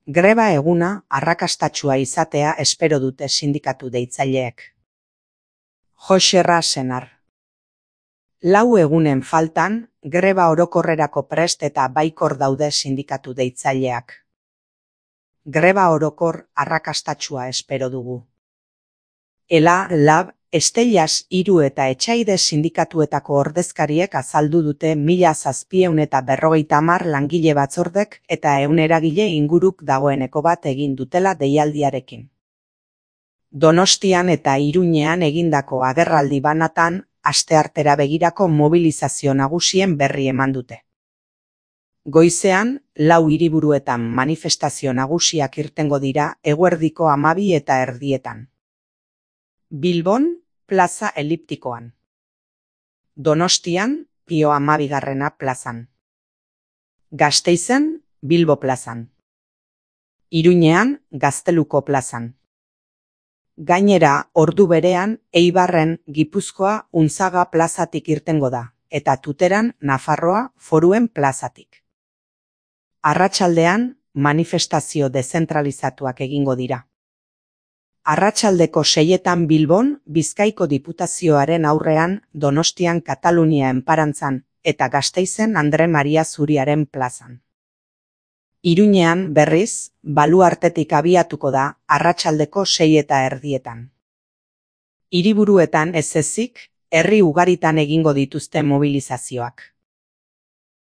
Greba eguna arrakastatsua izatea espero dute sindikatu deitzaileek. Joxerra Senar. 4 egunen faltan, greba orokorrerako prest eta baikor daude sindikatu deitzaileak. Greba orokor arrakastatsua espero dugu. Ela, Lab, Estellas, Hiru eta Etxaide sindikatuetako ordezkariek azaldu dute 1750 langile batzordek eta 100 eragile inguruk dagoeneko bat egin dutela deialdiarekin. Donostian eta Iruñean egindako agerraldi banatan, asteartera begirako mobilizazio nagusien berri eman dute. Goizean, 4 hiriburuetan manifestazio nagusiak irtengo dira eguerdiko 12:30. Bilbon, plaza eliptikoan. Donostian, Pio 12. plazan. Gasteizen, Bilbo plazan. Iruñean, Gazteluko plazan. Gainera, ordu berean, Eibarren, Gipuzkoa, Unzaga plazatik irtengo da, eta Tuteran, Nafarroa, Foruen plazatik. Arratsaldean, manifestazio dezentralizatuak egingo dira. Arratsaldeko 6etan Bilbon, Bizkaiko Diputazioaren aurrean, Donostian Katalunia enparantzan, eta Gasteizen Andre Maria Zuriaren plazan. Iruñean, berriz, Baluartetik abiatuko da, arratsaldeko 6:30. Hiriburuetan ez ezik, herri ugaritan egingo dituzte mobilizazioak.